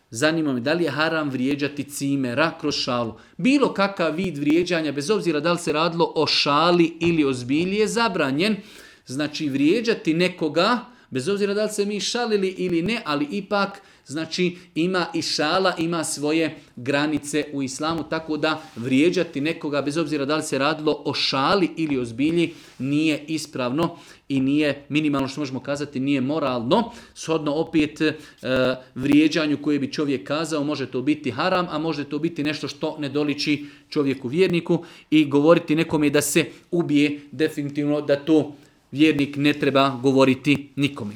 Zanima me da li je haram vrijeđati cimera kroz šalu. Bilo kakav vid vrijeđanja, bez obzira da li se radilo o šali ili o zbilji, je zabranjen. Znači vrijeđati nekoga, bez obzira da li se mi šalili ili ne, ali ipak znači ima i šala, ima svoje granice u islamu, tako da vrijeđati nekoga, bez obzira da li se radilo o šali ili o zbilji, nije ispravno i nije, minimalno što možemo kazati, nije moralno. Shodno opet vrijeđanju koje bi čovjek kazao, može to biti haram, a može to biti nešto što ne doliči čovjeku vjerniku, i govoriti nekome da se ubije, definitivno da to vjernik ne treba govoriti nikome.